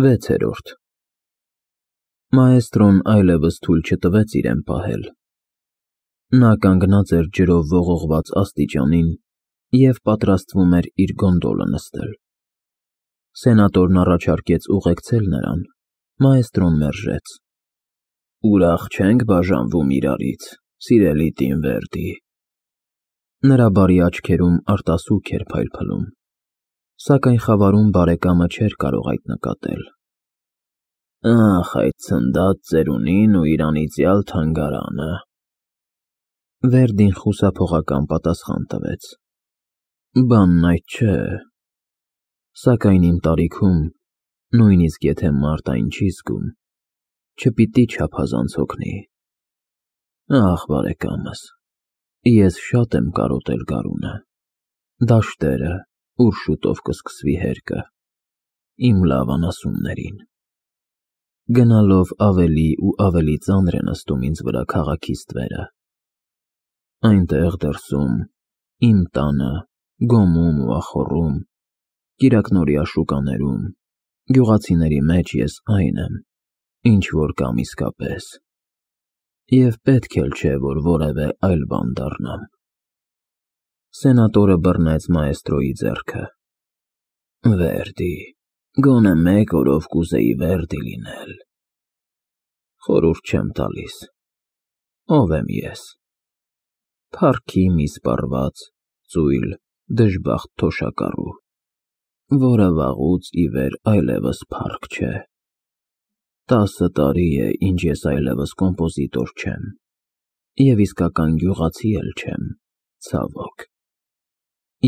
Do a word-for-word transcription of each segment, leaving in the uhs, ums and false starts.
Վեցերորդ Մաեստրոն այլևս թույլ չտվեց իրեն պահել. նա կանգնած էր ջրով ողողված աստիճանին և պատրաստվում էր իր գոնդոլը նստել: Սենատորն առաջարկեց ուղեկցել նրան, մաեստրոն մերժեց. Ուրախ չենք բաժանվում իրարից, սիրելի տին Վերդի: Նրա բարի աչքերում արտասուք էր փայլփլում, սակայն խավարում բարեկամը չէր կարող այդ նկատել: Ախ, այդ ցնդած ծերունին ու իր անիծյալ թանգարանը: Վերդին խուսափողական պատասխան տվեց. Բանն այդ չէ, սակայն իմ տարիքում, նույնիսկ եթե մարդ այն չի զգում, չպիտի չափազանց հոգնի: Ախ, բարեկամս, ես շատ եմ կարոտել գարունը, դաշտերը, ուր շուտով կսկսվի հերկը, իմ լավ անասուններին: Գնալով ավելի ու ավելի ծանր է նստում ինձ վրա քաղաքի ստվերը: Այնտեղ դրսում, իմ տանը, գոմում ու ախոռում, կիրակնօրյա շուկաներում, գյուղացիների մեջ ես այն եմ, ինչ որ կամ իսկապես, և պետք էլ չէ, որ որևէ այլ բան դառնամ: Սենատորը բռնեց մաեստրոյի ձեռքը: Վերդի, գոնե մեկ օրով կուզեի Վերդի լինել: Խորհուրդ չեմ տալիս, ով եմ ես: Փառքի մի սպառված, ծույլ, դժբախտ թոշակառու, որը վաղուց ի վեր այլևս փառք չէ: Տասը տարի է, ինչ ես այլևս կոմպոզիտոր չեմ, և իսկական գյուղացի էլ չեմ, ցավոք: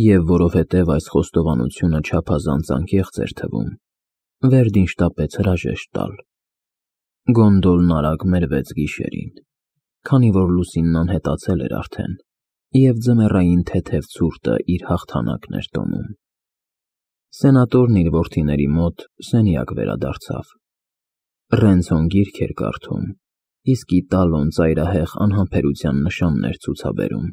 Եվ որովհետև այս խոստովանությունը չափազանց անկեղծ էր թվում, Վերդին շտապեց հրաժեշտ տալ: Գոնդոլն արագ մերվեց գիշերին, քանի որ լուսինն անհետացել էր արդեն, և ձմեռային թեթև ցուրտը իր հաղթանակն էր տոնում: Սենատորն իր որդիների մոտ սենյակ վերադարձավ: Ռենցոն գիրք էր կարդում, իսկ Իտալոն ծայրահեղ անհամբերության նշաններ ցուցաբերում: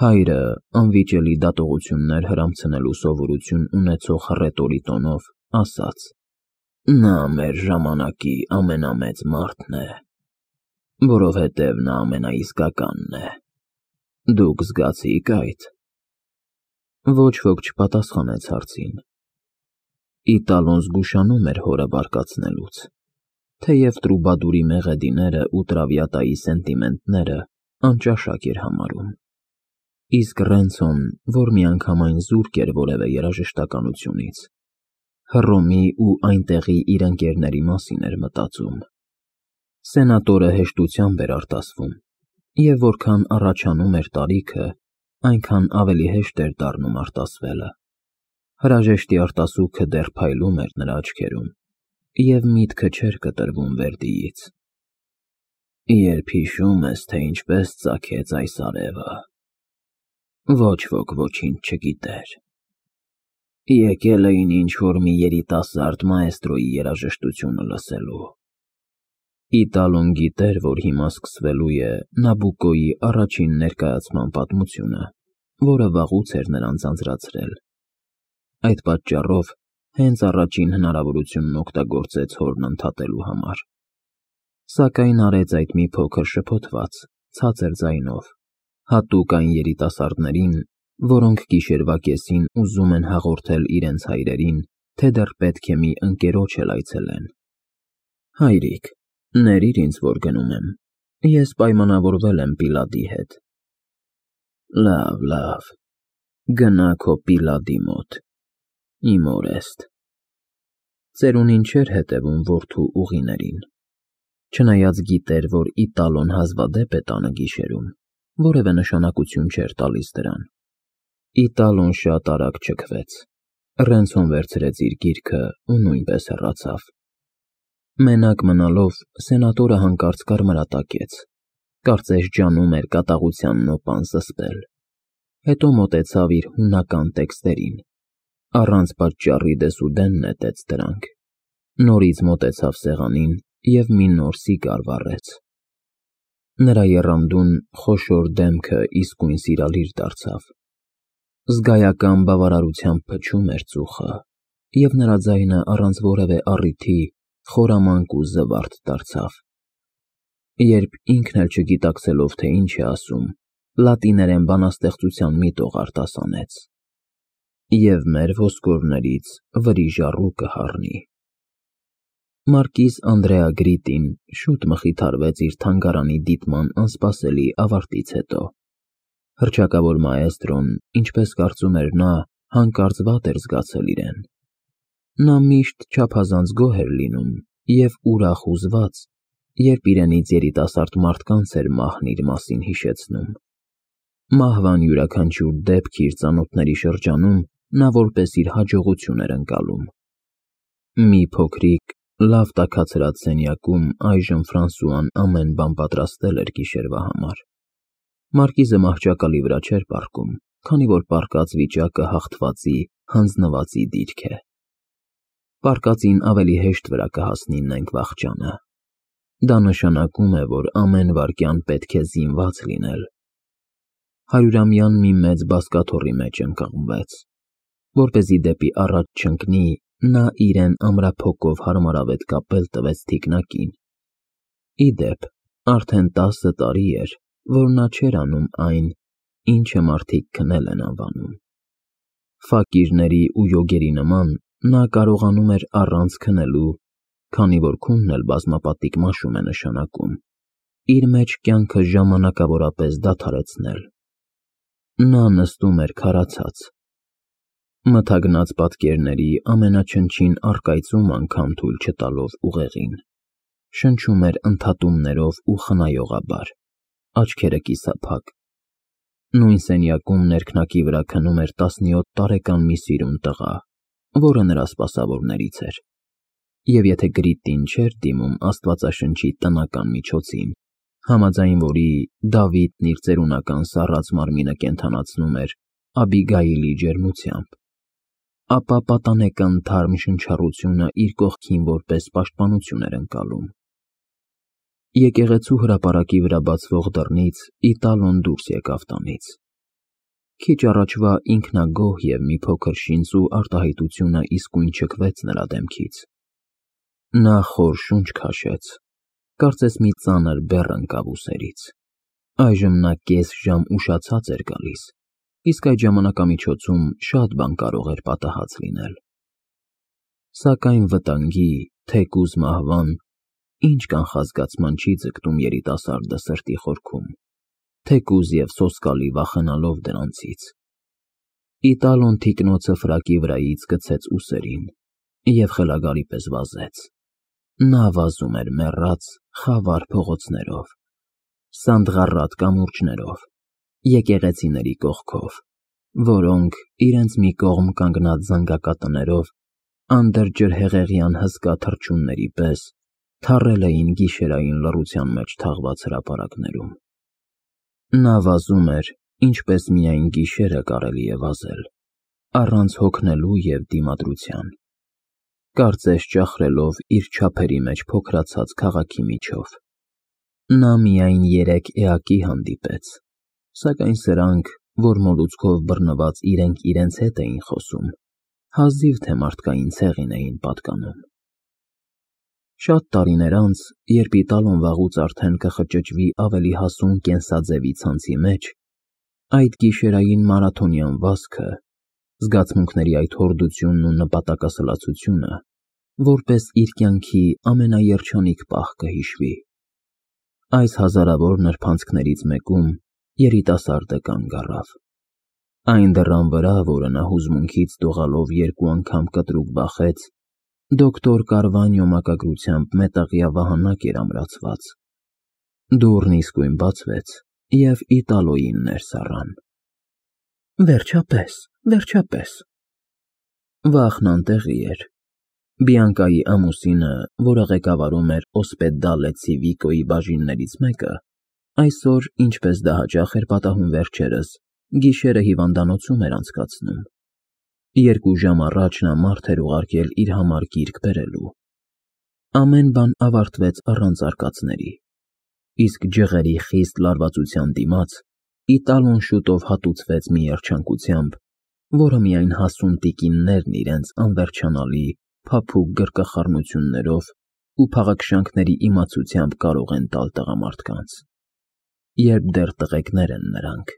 Հայրը, անվիճելի դատողություններ հրամցնելու սովորություն ունեցող հռետորի տոնով, ասաց. Նա մեր ժամանակի ամենամեծ մարդն է, որովհետև նա ամենաիսկականն է: Դուք զգացի՞ք այդ: Ոչ ոք չպատասխանեց հարցին: Իտալոն զգուշանում էր հորը բարկացնելուց, թեև Տրուբադուրի մեղեդիները ու Տրավիատայի սենտիմենտները անճաշակ էր համարում: Իսկ Ռենցոն, որ միանգամայն զուրկ էր որևէ երաժշտականությունից, Հռոմի ու այնտեղի իր ընկերների մասին էր մտածում: Սենատորը հեշտությամբ էր արտասվում, և որքան առաջանում էր տարիքը, այնքան ավելի հեշտ էր դառնում արտասվելը: Հրաժեշտի արտասուքը դեռ փայլում էր նրա աչքերում, և միտքը չէր կտրվում Վերդիից: Երբ հիշում ես, թե ինչպես ծագեց այս արևը, ոչ ոք ոչինչ չգիտեր: Եկել էին ինչ-որ մի երիտասարդ մաեստրոյի երաժշտությունը լսելու: Իտալոն գիտեր, որ հիմա սկսվելու է Նաբուկոյի առաջին ներկայացման պատմությունը, որը վաղուց էր նրան ձանձրացրել: Այդ պատճառով հենց առաջին հնարավորությունն օգտագործեց հորն ընդհատելու համար: Սակայն արեց այդ մի փոքր շփոթված, ցածր ձայնով, հատուկ այն երիտասարդներին, որոնք գիշերվա կեսին ուզում են հաղորդել իրենց հայրերին, թե դեռ պետք է մի ընկերոջ էլ այցելեն: Հայրիկ, ներիր ինձ, որ գնում եմ, ես պայմանավորվել եմ Պիլադի հետ: Լավ, լավ, գնա քո Պիլադի մոտ, իմ օրեստ: Ծերունին չէր հետևում որդու ուղիներին, չնայած գիտեր, որ Իտալոն հազվադեպ է տանը գիշերում, որևէ նշանակություն չէր տալիս դրան: Իտալոն շատ արագ չքվեց: Ռենցոն վերցրեց իր գիրքը ու նույնպես հեռացավ: Մենակ մնալով, սենատորը հանկարծ կարմրատակեց, կարծես ջանում էր կատաղության նոպան զսպել: Հետո մոտեցավ իր հունական տեքստերին, առանց պատճառի դեսուդեն նետեց դրանք, նորից մոտեցավ սեղանին և մի նոր սիգար վառեց: Նրա եռանդուն, խոշոր դեմքը իսկույն սիրալիր դարձավ: Զգայական բավարարությամբ փչում էր ծուխը, և նրա ձայնը առանց որևէ առիթի խորամանկ ու զվարթ դարձավ։ Երբ ինքն էլ չգիտակցելով, թե ինչ է ասում, լատիներեն բանաստեղծության մի տող արտասանեց. «Եվ մեր ոսկորներից վրիժ առու կհառնի»։ Մարկիզ Անդրեա Գրիտին շուտ մխիթարվեց իր թանգարանի դիտման անսպասելի ավարտից հետո։ Հռչակավոր մաեստրոն, ինչպես կարծում էր նա, հանկարծ վատ էր զգացել իրեն։ Նա միշտ չափազանց գոհ էր լինում և ուրախ ու զվարթ, երբ իրենից երիտասարդ մարդկանց էր մահն իր մասին հիշեցնում։ Մահվան յուրաքանչյուր դեպք իր ծանոթների շրջանում նա որպես իր հաջողություն էր ընկալում։ Մի փոքրիկ, լավ տաքացրած սենյակում այժմ Ֆրանսուան ամեն բան պատրաստել էր գիշերվա համար։ Մարկիզը մահճակալի վրա չէր պառկում, քանի որ պառկած վիճակը հաղթվածի, հանձնվածի դիրք է։ Պառկածին ավելի հեշտ վրա կհասնի նենգ վախճանը։ Դա նշանակում է, որ ամեն վայրկյան պետք է զինված լինել։ Հարյուրամյան մի մեծ բազկաթոռի մեջ ընկղմվեց։ Որպեսզի դեպի առաջ չընկնի, նա իրեն ամրափոկով հարմարավետ կապել տվեց թիկնակին։ Ի դեպ, արդեն տասը տարի էր, որ նա չէր անում այն, ինչը մարդիկ քնել են անվանում։ Ֆակիրների ու յոգերի նման նա կարողանում էր առանց քնելու, քանի որ քունն էլ բազմապատիկ մաշում է նշանակում, իր մեջ կյանքը ժամանակավորապես դադարեցնել։ Նա նստում էր քարացած, մթագնած պատկերների ամենաչնչին առկայծում անգամ թույլ չտալով ուղեղին, շնչում էր ընդհատումներով ու խնայողաբար, աչքերը կիսափակ։ Նույն սենյակում ներքնակի վրա քնում էր տասնյոթ տարեկան մի սիրուն տղա, որը նրա սպասավորներից էր, և եթե Գրիտին չէր դիմում Աստվածաշնչի տնական միջոցին, համաձայն որի Դավիթն իր ծերունական սառած մարմինը կենդանացնում էր Աբիգայիլի ջերմությամբ, ապա պատանեկան թարմ շնչառությունը իր կողքին որպես պաշտպանություն էր ընկալում։ Եկեղեցու հրապարակի վրա բացվող դռնից Իտալոն դուրս եկավ տանից։ Քիչ առաջվա ինքնագոհ և մի փոքր շինծու արտահայտությունը իսկույն չքվեց նրա դեմքից։ Նա խոր շունչ քաշեց, կարծես մի ծանր բեռ ընկավ ուսերից։ Այժմ նա կես ժամ ուշացած էր գալիս, իսկ այդ ժամանակամիջոցում շատ բան կարող էր պատահած լինել։ Սակայն վտանգի, թեկուզ մահվան, ինչ կանխազգացման չի ձգտում երիտասարդը սրտի խորքում, թեկուզ և սոսկալի վախենալով դրանցից։ Իտալոն թիկնոցը ֆրակի վրայից գցեց ուսերին և խելագարի պես վազեց։ Նա վազում էր մեռած, խավար փողոցներով, սանդղառատ կամուրջներով, եկեղեցիների կողքով, որոնք, իրենց մի կողմ կանգնած զանգակատներով, անդրջրհեղեղյան հսկա թռչունների պես, թառել էին գիշերային լռության մեջ թաղված հրապարակներում։ Նա վազում էր, ինչպես միայն գիշերը կարելի է վազել, առանց հոգնելու և դիմադրության, կարծես ճախրելով իր չափերի մեջ փոքրացած քաղաքի միջով։ Նա միայն երեք էակի հանդիպեց, սակայն սրանք, որ մոլուցքով բռնված իրենք իրենց հետ էին խոսում, հազիվ թե մարդկային ցեղին էին պատկանում։ Շատ տարիներ անց, երբ Իտալոն վաղուց արդեն կխճճվի ավելի հասուն կենսաձևի ցանցի մեջ, այդ գիշերային մարաթոնյան վազքը, զգացմունքների այդ հորդությունն ու նպատակասլացությունը, որպես իր կյանքի ամենաերջանիկ պահ կհիշվի։ Այս հազարավոր նրբանցքներից մեկում երիտասարդը կանգ առավ։ Այն դռան վրա, որը նա հուզմունքից դողալով երկու անգամ կտրուկ բախեց, դոկտոր Կարվանյո մակագրությամբ մետաղյա վահանակ էր ամրացված։ Դուռն իսկույն բացվեց, և Իտալոյին ներս առան։ Վերջապես, վերջապես։ Վախն անտեղի էր։ Բիանկայի ամուսինը, որը ղեկավարում էր Օսպեդալե Ցիվիկոյի բաժիններից մեկը, այսօր, ինչպես դա հաճախ էր պատահում վերջերս, գիշերը հիվանդանոցում էր անցկացնում։ Երկու ժամ առաջ նա մարդ էր ուղարկել իր համար գիրք բերելու։ Ամեն բան ավարտվեց առանց արկածների, իսկ ջղերի խիստ լարվածության դիմաց Իտալոն շուտով հատուցվեց մի երջանկությամբ, որը միայն հասուն տիկիններն իրենց անվերջանալի, փափուկ գրկախառնություններով ու փաղաքշանքների իմացությամբ կարող են տալ տղամարդկանց, երբ դեռ տղեկներ են նրանք։